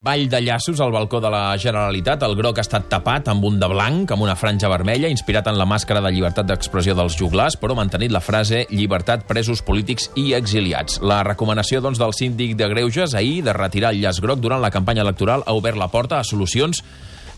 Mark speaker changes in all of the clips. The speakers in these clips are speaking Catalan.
Speaker 1: Ball de llaços al balcó de la Generalitat. El groc ha estat tapat amb un de blanc, amb una franja vermella, inspirat en la màscara de llibertat d'expressió dels joglars, però mantenint la frase «llibertat, presos polítics i exiliats». La recomanació del síndic de Greuges ahir de retirar el llaç groc durant la campanya electoral ha obert la porta a solucions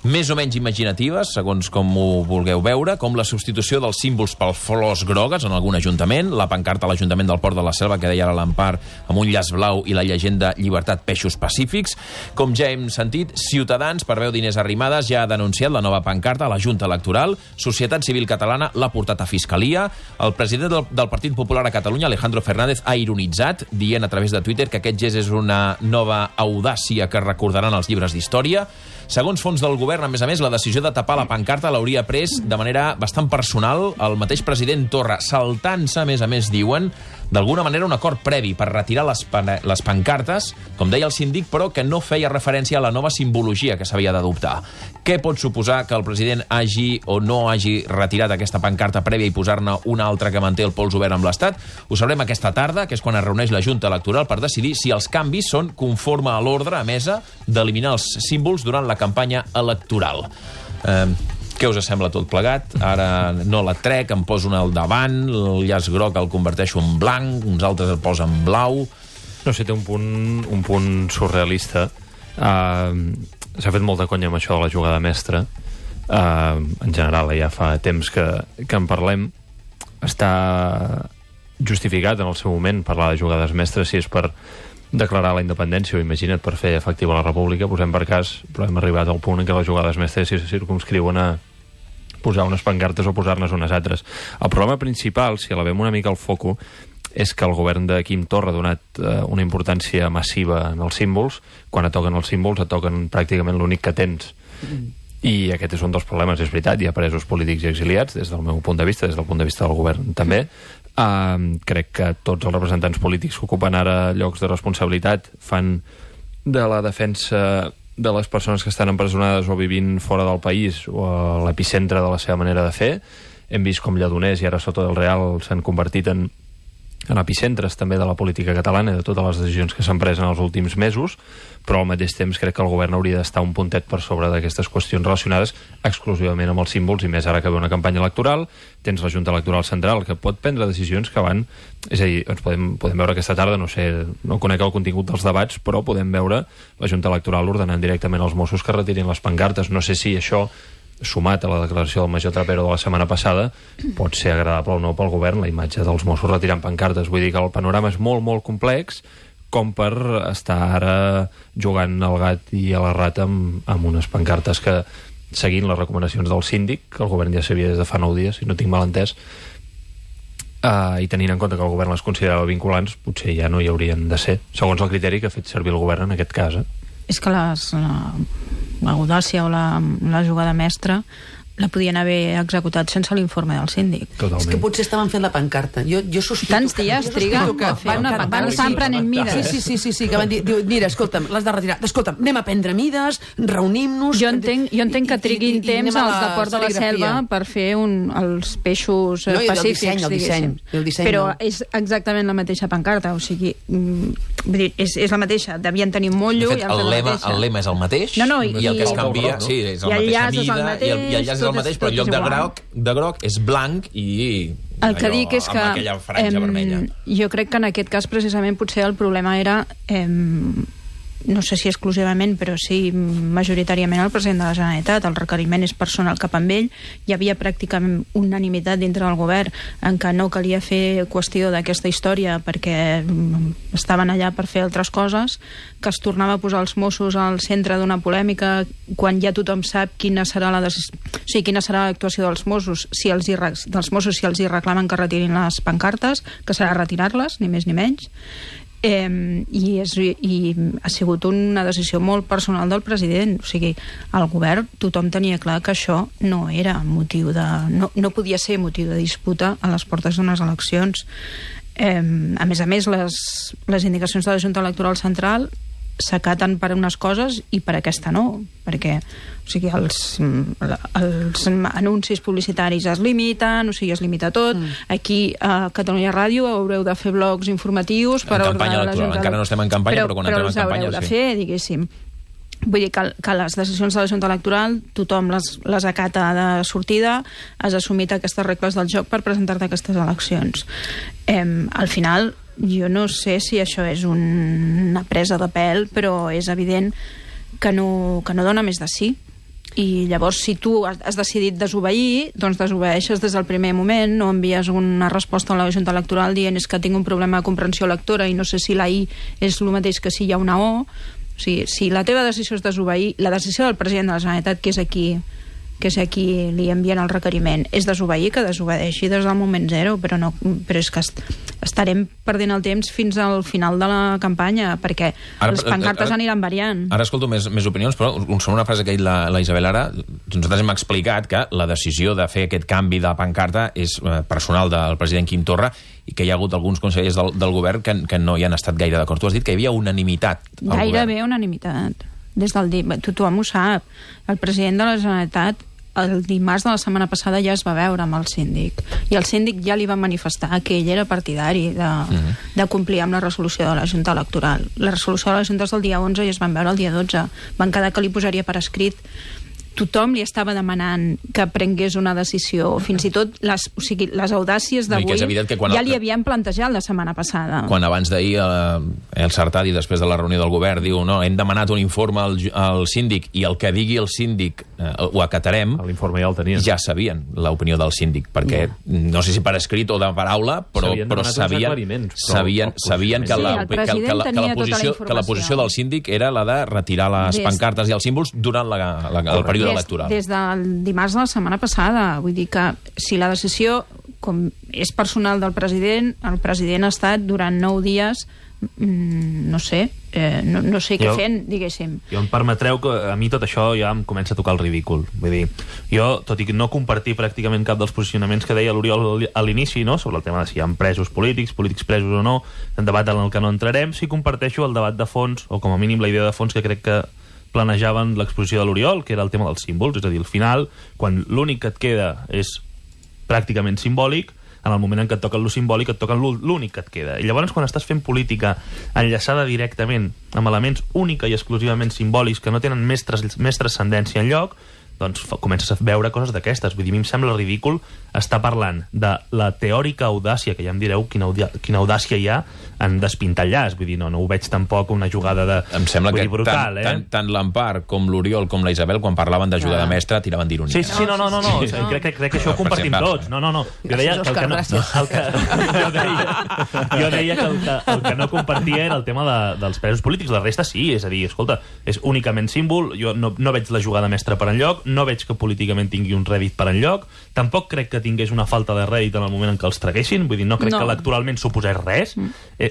Speaker 1: més o menys imaginatives, segons com ho vulgueu veure, com la substitució dels símbols per flors grogues en algun ajuntament, la pancarta a l'Ajuntament del Port de la Selva, que deia ara l'Empar, amb un llaç blau i la llegenda «Llibertat, peixos pacífics». Com ja hem sentit, Ciutadans, per veu d'Inés Arrimadas, ja ha denunciat la nova pancarta a la Junta Electoral. Societat Civil Catalana l'ha portat a Fiscalia. El president del Partit Popular a Catalunya, Alejandro Fernández, ha ironitzat, dient a través de Twitter que aquest gest és una nova audàcia que recordaran els llibres d'història. Segons fons del govern, a més, la decisió de tapar la pancarta l'hauria pres de manera bastant personal el mateix president Torra, saltant-se, a més, diuen, d'alguna manera un acord previ per retirar les pancartes, com deia el síndic, però que no feia referència a la nova simbologia que s'havia d'adoptar. Què pot suposar que el president hagi o no hagi retirat aquesta pancarta prèvia i posar-ne una altra que manté el pols obert amb l'Estat? Ho sabrem aquesta tarda, que és quan es reuneix la Junta Electoral per decidir si els canvis són conforme a l'ordre emesa d'eliminar els símbols durant la campanya electoral. Què us sembla tot plegat? Ara no la trec, em poso una al davant, el llaç groc el converteixo en blanc, uns altres el posen blau.
Speaker 2: No sé, té un punt surrealista. S'ha fet molta conya amb això de la jugada mestra. En general, ja fa temps que en parlem. Està justificat en el seu moment parlar de jugades mestres, si és per declarar la independència o, imagina't, per fer efectiva la república, posem per cas, però hem arribat al punt en què les jugades mestres se circumscriuen a posar unes pancartes o posar-ne unes altres. El problema principal, si elevem una mica el foco, és que el govern de Quim Torra ha donat una importància massiva en els símbols. Quan et toquen els símbols, et toquen pràcticament l'únic que tens. I aquest és un dels problemes, és veritat. Hi ha presos polítics i exiliats, des del meu punt de vista, des del punt de vista del govern també. Crec que tots els representants polítics que ocupen ara llocs de responsabilitat fan de la defensa de les persones que estan empresonades o vivint fora del país o a l'epicentre de la seva manera de fer. Hem vist com Lledoners i ara Soto del Real s'han convertit en epicentres també de la política catalana i de totes les decisions que s'han pres en els últims mesos, però al mateix temps crec que el govern hauria d'estar un puntet per sobre d'aquestes qüestions relacionades exclusivament amb els símbols, i més ara que ve una campanya electoral. Tens la Junta Electoral Central que pot prendre decisions que van... És a dir, ens podem veure aquesta tarda, no sé, no conec el contingut dels debats, però podem veure la Junta Electoral ordenant directament als Mossos que retirin les pancartes. No sé si això, sumat a la declaració del major Trapero de la setmana passada, pot ser agradable o no pel govern, la imatge dels Mossos retirant pancartes. Vull dir que el panorama és molt, molt complex com per estar ara jugant al gat i a la rata amb unes pancartes que, seguint les recomanacions del síndic, que el govern ja sabia des de fa 9 dies, si no tinc mal entès, i tenint en compte que el govern les considerava vinculants, potser ja no hi haurien de ser, segons el criteri que ha fet servir el govern en aquest cas.
Speaker 3: És que l'audàcia o la jugada mestra la podien haver executat sense l'informe del síndic.
Speaker 2: Totalment.
Speaker 4: És que potser estaven fent la pancarta. Jo sospito
Speaker 3: tants dies triga a fer una pancarta. Estan prenent mides.
Speaker 4: Sí, que van dir, mira, escolta'm, l'has de retirar. Escolta'm, anem a prendre mides, reunim-nos...
Speaker 3: Jo entenc que triguin temps als de Port de la Selva per fer els peixos pacífics,
Speaker 4: diguéssim.
Speaker 3: Però és exactament la mateixa pancarta, o sigui, és la mateixa, devien tenir molt lluny.
Speaker 1: De fet, el lema és el mateix, i el que es canvia, sí, és la mateixa mida, i el llaç és el mateix, però en lloc de groc és blanc i
Speaker 3: el que dic és que
Speaker 1: amb aquella franja vermella.
Speaker 3: Jo crec que en aquest cas precisament potser el problema era no sé si exclusivament, però sí majoritàriament el president de la Generalitat. El requeriment és personal cap amb ell. Hi havia pràcticament unanimitat dintre del govern en què no calia fer qüestió d'aquesta història perquè estaven allà per fer altres coses, que es tornava a posar els Mossos al centre d'una polèmica quan ja tothom sap quina serà l'actuació dels Mossos si els hi reclamen que retirin les pancartes, que serà retirar-les, ni més ni menys. I ha sigut una decisió molt personal del president. O sigui, el govern, tothom tenia clar que això no era motiu de... no podia ser motiu de disputa a les portes d'unes eleccions. A més, les indicacions de la Junta Electoral Central s'acaten per unes coses i per aquesta no, perquè els anuncis publicitaris es limiten, es limita tot. Aquí a Catalunya Ràdio haureu de fer blocs informatius per
Speaker 1: en campanya electoral, encara no estem en campanya, però quan entrem en campanya
Speaker 3: els haureu de fer, diguéssim. Vull dir que les decisions de la Junta Electoral tothom les acata de sortida, has assumit aquestes regles del joc per presentar-te a aquestes eleccions. Al final, jo no sé si això és una presa de pèl, però és evident que no dona més de sí. I llavors, si tu has decidit desobeir, doncs desobeeixes des del primer moment, no envies una resposta a la Junta Electoral dient és que tinc un problema de comprensió lectora i no sé si la I és el mateix que si hi ha una O. O sigui, si la teva decisió és desobeir, la decisió del president de la Generalitat, que és a qui li envien el requeriment, és desobeir, que desobedeixi des del moment zero, però és que estarem perdent el temps fins al final de la campanya, perquè les pancartes aniran variant.
Speaker 1: Ara escolto més opinions, però sobre una frase que ha dit la Isabel ara, nosaltres hem explicat que la decisió de fer aquest canvi de pancarta és personal del president Quim Torra i que hi ha hagut alguns consellers del govern que no hi han estat gaire d'acord. Tu has dit que hi havia unanimitat al govern.
Speaker 3: Gairebé unanimitat. Tothom ho sap. El president de la Generalitat el dimarts de la setmana passada ja es va veure amb el síndic i el síndic ja li va manifestar que ell era partidari de complir amb la resolució de la Junta Electoral. La resolució de la Junta és del dia 11 i es van veure el dia 12. Van quedar que li posaria per escrit. Tothom li estava demanant que prengués una decisió, fins i tot les audàcies d'avui ja li havien plantejat la setmana passada.
Speaker 1: Quan abans d'ahir el Sartadi, després de la reunió del govern, diu no, hem demanat un informe al síndic i el que digui el síndic ho acatarem,
Speaker 2: l'informe ja el tenien.
Speaker 1: Ja sabien l'opinió del síndic, perquè no sé si per escrit o de paraula, però sabien que la posició del síndic era la de retirar les pancartes i els símbols durant el període electoral.
Speaker 3: Des del dimarts de la setmana passada. Vull dir que si la decisió com és personal del president, el president ha estat durant 9 dies no sé què fent, diguéssim.
Speaker 5: Jo em permetreu que a mi tot això ja em comença a tocar el ridícul. Vull dir, jo, tot i que no compartir pràcticament cap dels posicionaments que deia l'Oriol a l'inici, no?, sobre el tema de si hi ha presos polítics presos o no, un debat en el que no entrarem, sí comparteixo el debat de fons, o com a mínim la idea de fons que crec que planejaven l'exposició de l'Oriol, que era el tema dels símbols. És a dir, al final, quan l'únic que et queda és pràcticament simbòlic, en el moment en què et toquen lo simbòlic, et toquen l'únic que et queda. I llavors, quan estàs fent política enllaçada directament amb elements única i exclusivament simbòlics que no tenen més transcendència enlloc, doncs comences a veure coses d'aquestes. Vull dir, a mi em sembla ridícul estar parlant de la teòrica audàcia, que ja em direu quina audàcia hi ha en despintar el llaç. Vull dir, no ho veig tampoc una jugada de...
Speaker 1: Em sembla que brutal, tant l'Empar com l'Oriol com la Isabel, quan parlaven de jugada mestra, tiraven d'ironia.
Speaker 5: Sí, no. Crec que això ho compartim tots. No. Jo deia que el que no compartia era el tema dels presos polítics. La resta sí, és a dir, escolta, és únicament símbol. Jo no veig la jugada mestra per enlloc, no veig que políticament tingui un rèdit per enlloc, tampoc crec que tingués una falta de rèdit en el moment en què els traguessin, vull dir, no crec que electoralment suposés res.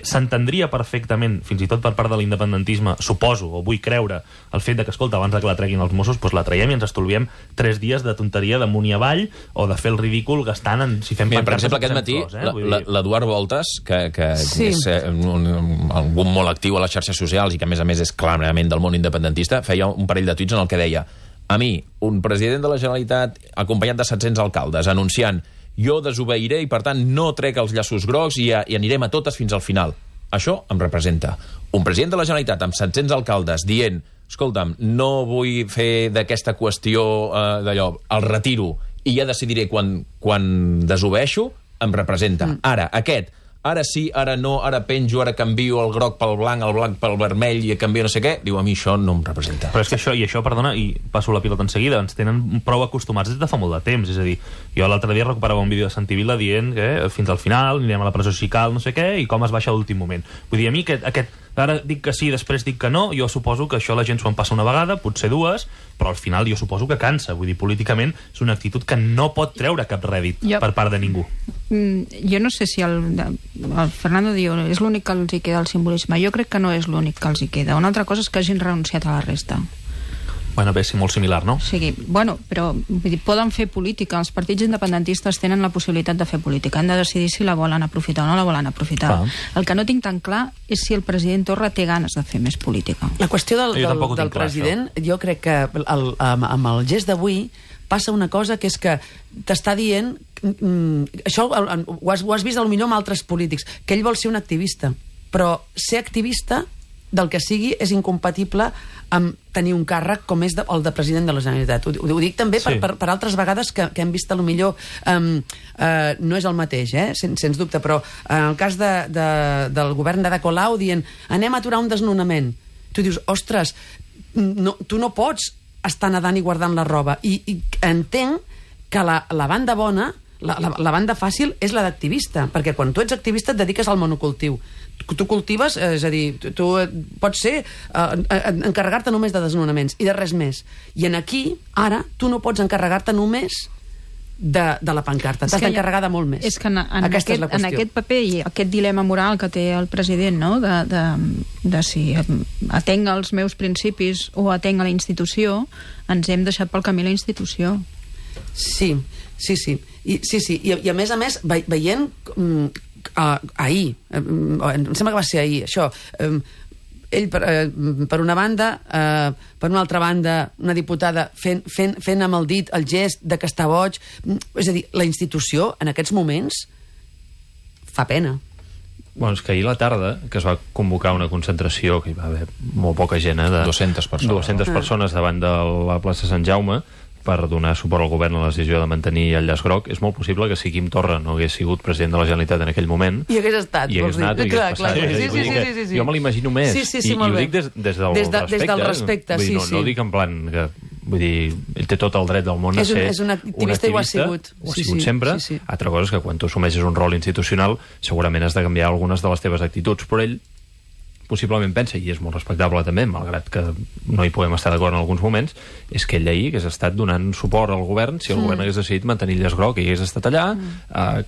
Speaker 5: S'entendria perfectament, fins i tot per part de l'independentisme, suposo, o vull creure, el fet de que, escolta, abans que la treguin els Mossos, doncs la traiem i ens estolviem 3 dies de tonteria d'amunt i avall, o de fer el ridícul gastant si fem pancartes.
Speaker 1: Per exemple, aquest matí, l'Eduard Voltas, que és algun molt actiu a les xarxes socials i que, a més, és clarament del món independentista, feia un parell de tuits en el que deia: a mi, un president de la Generalitat acompanyat de 700 alcaldes anunciant jo desobeiré i per tant no trec els llaços grocs i anirem a totes fins al final. Això em representa. Un president de la Generalitat amb 700 alcaldes dient escolta'm, no vull fer d'aquesta qüestió d'allò, el retiro i ja decidiré quan desobeeixo, em representa. Ara sí, ara no, ara penjo, ara canvio el groc pel blanc, el blanc pel vermell i canvio no sé què, diu, a mi això no em representa.
Speaker 5: Però és que això, perdona, i passo la pilota en seguida, ens tenen prou acostumats des de fa molt de temps. És a dir, jo l'altre dia recuperava un vídeo de Santi Vila dient que fins al final anirem a la presó si cal, no sé què, i com es baixa a l'últim moment. Vull dir, a mi ara dic que sí, després dic que no, jo suposo que això la gent s'ho en passa una vegada, potser 2, però al final jo suposo que cansa. Vull dir, políticament és una actitud que no pot treure cap rèdit per part de ningú.
Speaker 3: Jo no sé si el Fernando diu és l'únic que els hi queda el simbolisme. Jo crec que no és l'únic que els hi queda. Una altra cosa és que hagin renunciat a la resta.
Speaker 5: Bueno, bé, sí, molt similar, no?
Speaker 3: Sí, bueno, però vull dir, poden fer política. Els partits independentistes tenen la possibilitat de fer política. Han de decidir si la volen aprofitar o no la volen aprofitar. El que no tinc tan clar és si el president Torra té ganes de fer més política.
Speaker 4: La qüestió del president, jo crec que amb el gest d'avui passa una cosa que és que t'està dient això ho has vist potser amb altres polítics, que ell vol ser un activista, però ser activista del que sigui és incompatible amb tenir un càrrec com és el de president de la Generalitat. Ho dic també per altres vegades que hem vist a lo millor no és el mateix, sens dubte, però en el cas del govern d'Ada Colau dient anem a aturar un desnonament, tu dius, ostres, tu no pots estar nedant i guardant la roba, i entenc que la banda bona, la banda fàcil és la d'activista, perquè quan tu ets activista et dediques al monocultiu. Tu cultives, és a dir, tu pots ser encarregar-te només de desnonaments i de res més. I aquí, ara, tu no pots encarregar-te només de la pancarta. T'has d'encarregar de molt més.
Speaker 3: És que en aquest paper i aquest dilema moral que té el president, no? de si atenc els meus principis o atenc a la institució, ens hem deixat pel camí la institució.
Speaker 4: Sí. I a més, veient ahir, em sembla que va ser ahir, això, ell per una banda, per una altra banda una diputada fent amb el dit el gest de que està boig, és a dir, la institució en aquests moments fa pena.
Speaker 2: Bueno, és que ahir a la tarda, que es va convocar una concentració, que hi va haver molt poca gent, de
Speaker 1: 200 persones.
Speaker 2: 200 persones davant de la plaça Sant Jaume, per donar suport al govern a la decisió de mantenir el llaç groc. És molt possible que si Quim Torra no hagués sigut president de la Generalitat en aquell moment...
Speaker 4: I hagués estat,
Speaker 2: vols dir.
Speaker 4: Clar.
Speaker 2: Sí. Jo me l'imagino més.
Speaker 4: I
Speaker 2: ho dic des del respecte. No ho dic en plan que... Vull dir, ell té tot el dret del món a ser
Speaker 4: un activista, i ho ha sigut.
Speaker 2: Ho ha sigut sempre. Altra cosa és que quan tu assumeixes un rol institucional segurament has de canviar algunes de les teves actituds, però ell possiblement pensa, i és molt respectable també, malgrat que no hi podem estar d'acord en alguns moments, és que ell ahir hagués estat donant suport al govern si el govern hagués decidit mantenir el llaç groc, i hagués estat allà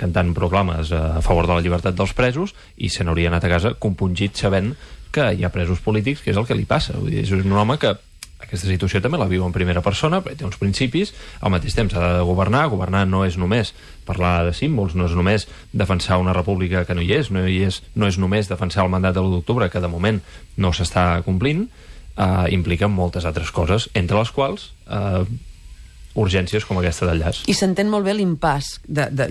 Speaker 2: cantant proclames a favor de la llibertat dels presos, i se n'hauria anat a casa compungit sabent que hi ha presos polítics, que és el que li passa. Vull dir, és un home que aquesta situació també la viu en primera persona, però té uns principis, al mateix temps ha de governar no és només parlar de símbols, no és només defensar una república que no hi és, no és només defensar el mandat de l'1 d'octubre, que de moment no s'està complint, implica moltes altres coses, entre les quals urgències com aquesta del llaç.
Speaker 4: I s'entén molt bé l'impàs,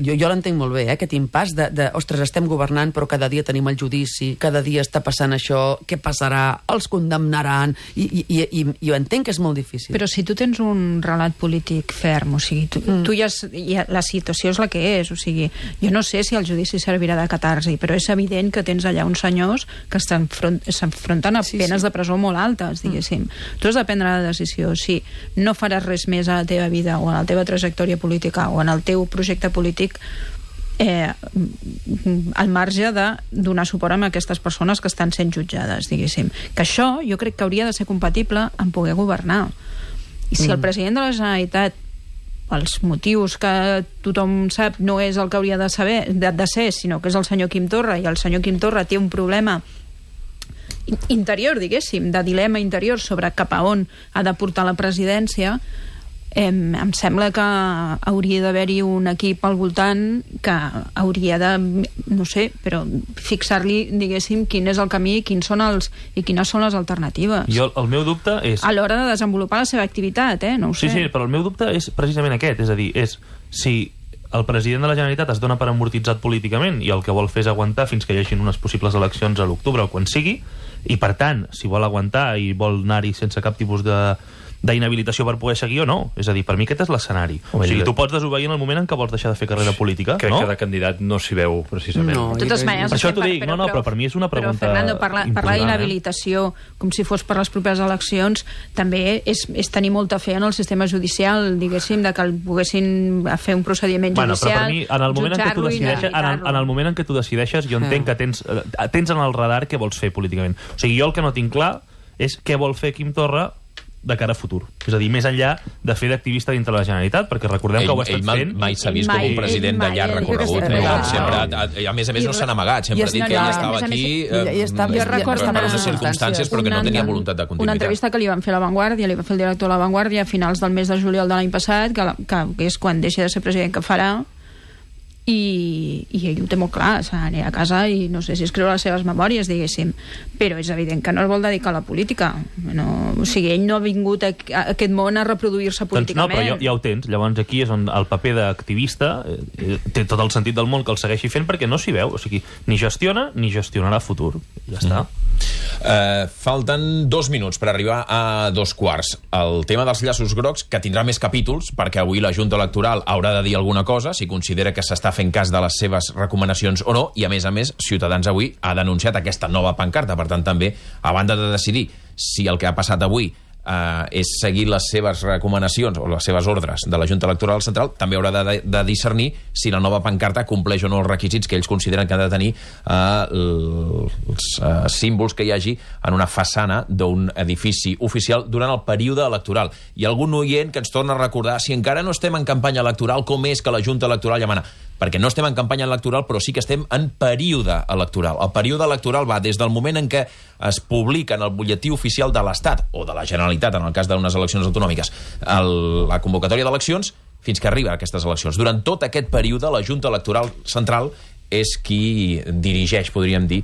Speaker 4: jo l'entenc molt bé, aquest impàs ostres, estem governant però cada dia tenim el judici, cada dia està passant això, què passarà, els condemnaran, i ho entenc que és molt difícil.
Speaker 3: Però si tu tens un relat polític ferm, o sigui, tu la situació és la que és, o sigui, jo no sé si el judici servirà de catarsi, però és evident que tens allà uns senyors que s'enfronten a penes de presó molt altes, diguéssim. Tu has de prendre la decisió, si no faràs res més a la teva vida o en la teva trajectòria política o en el teu projecte polític al marge de donar suport a aquestes persones que estan sent jutjades, diguéssim. Que això jo crec que hauria de ser compatible amb poder governar. I si el president de la Generalitat, pels motius que tothom sap, no és el que hauria de ser, sinó que és el senyor Quim Torra, i el senyor Quim Torra té un problema interior, diguéssim, de dilema interior sobre cap a on ha de portar la presidència, em sembla que hauria d'haver-hi un equip al voltant que hauria de, no sé, però fixar-li, diguéssim, quin és el camí i quines són les alternatives.
Speaker 5: El meu dubte és...
Speaker 3: A l'hora de desenvolupar la seva activitat, no ho sé.
Speaker 5: Sí, però el meu dubte és precisament aquest, és a dir, si el president de la Generalitat es dona per amortitzat políticament i el que vol fer és aguantar fins que hi hagin unes possibles eleccions a l'octubre o quan sigui, i per tant, si vol aguantar i vol anar-hi sense cap tipus d'inhabilitació per poder seguir o no. És a dir, per mi aquest és l'escenari. O sigui, tu pots desobeir en el moment en què vols deixar de fer carrera política,
Speaker 2: crec que de candidat no s'hi veu, precisament.
Speaker 3: No, de totes maneres,
Speaker 5: per això t'ho dic, però per mi és una pregunta...
Speaker 3: Però, Fernando, parlar d'inhabilitació com si fos per les properes eleccions també és tenir molta fe en el sistema judicial, diguéssim, de que el poguessin fer un procediment judicial,
Speaker 5: però per mi, en el moment en què tu decideixes, jo entenc que tens en el radar què vols fer políticament. O sigui, jo el que no tinc clar és què vol fer Quim Torra de cara a futur. És a dir, més enllà de fer d'activista dintre la Generalitat, perquè recordem que ho ha estat fent...
Speaker 1: Mai s'ha vist com un president de llarg recorregut. A més no s'han amagat. Sempre ha dit que ell estava aquí per unes circumstàncies, però que no tenia voluntat de continuïtat.
Speaker 3: Una entrevista que li van fer a La Vanguardia, li va fer el director de La Vanguardia a finals del mes de juliol de l'any passat, que és quan deixa de ser president que farà, i ell ho té molt clar, anirà a casa i no sé si escriure les seves memòries, diguéssim, però és evident que no es vol dedicar a la política. No, o sigui, ell no ha vingut a aquest món a reproduir-se políticament.
Speaker 5: Doncs no, però ja ho tens. Llavors aquí és on el paper d'activista té tot el sentit del món que el segueixi fent, perquè no s'hi veu. O sigui, ni gestiona ni gestionarà futur. Ja està.
Speaker 1: Falten 2 minuts per arribar a 2:15. El tema dels llaços grocs, que tindrà més capítols, perquè avui la Junta Electoral haurà de dir alguna cosa, si considera que s'està fent cas de les seves recomanacions o no, i a més, Ciutadans avui ha denunciat aquesta nova pancarta. Per tant, també, a banda de decidir si el que ha passat avui és seguir les seves recomanacions o les seves ordres de la Junta Electoral Central, també haurà de discernir si la nova pancarta compleix o no els requisits que ells consideren que han de tenir els símbols que hi hagi en una façana d'un edifici oficial durant el període electoral. Hi ha algun oient que ens torna a recordar, si encara no estem en campanya electoral, com és que la Junta Electoral ja mana? Perquè no estem en campanya electoral, però sí que estem en període electoral. El període electoral va des del moment en què es publica en el butlletí oficial de l'Estat, o de la Generalitat, en el cas d'unes eleccions autonòmiques, la convocatòria d'eleccions, fins que arriba a aquestes eleccions. Durant tot aquest període, la Junta Electoral Central és qui dirigeix, podríem dir,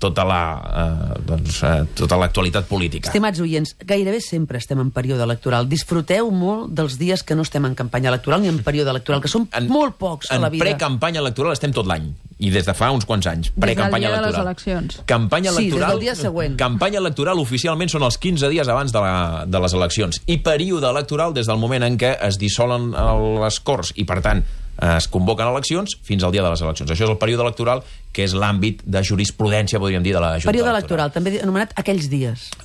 Speaker 1: tota l'actualitat política.
Speaker 4: Estimats oients, gairebé sempre estem en període electoral. Disfruteu molt dels dies que no estem en campanya electoral ni en període electoral, que són molt pocs a la vida.
Speaker 1: En precampanya electoral estem tot l'any, i des de fa uns quants anys. Precampanya
Speaker 3: electoral. Des del dia de les
Speaker 1: eleccions. Campanya electoral,
Speaker 4: sí, des del dia següent.
Speaker 1: Campanya electoral oficialment són els 15 dies abans de les eleccions. I període electoral des del moment en què es dissolen les Corts i, per tant, es convoquen eleccions fins al dia de les eleccions. Això és el període electoral, que és l'àmbit de jurisprudència, podríem dir, de la Junta
Speaker 4: Període electoral, també anomenat aquells dies.